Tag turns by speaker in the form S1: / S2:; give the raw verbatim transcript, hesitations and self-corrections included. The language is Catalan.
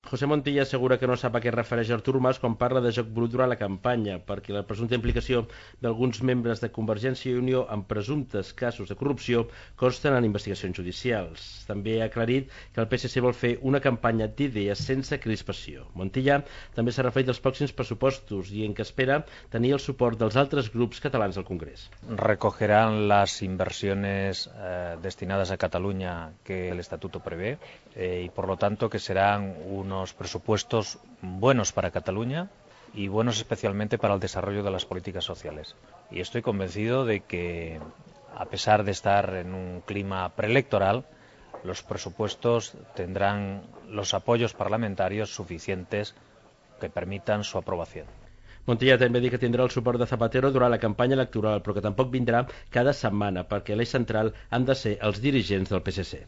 S1: José Montilla assegura que no sap a què es refereix Artur Mas quan parla de joc brut durant la campanya, perquè la presumpta implicació d'alguns membres de Convergència i Unió en presumptes casos de corrupció consten en investigacions judicials. També ha aclarit que el P S C vol fer una campanya d'idees sense crispació. Montilla també s'ha referit als pròxims pressupostos i en què espera tenir el suport dels altres grups catalans al Congrés.
S2: Recogerán las inversiones eh, destinadas a Cataluña que el Estatuto prevé eh, y por lo tanto que serán unos presupuestos buenos para Cataluña y buenos especialmente para el desarrollo de las políticas sociales. Y estoy convencido de que, a pesar de estar en un clima preelectoral, los presupuestos tendrán los apoyos parlamentarios suficientes que permitan su aprobación.
S1: Montilla també diu que tindrà el suport de Zapatero durant la campanya electoral, però que tampoc vindrà cada setmana, perquè l'eix central han de ser els dirigents del P S C.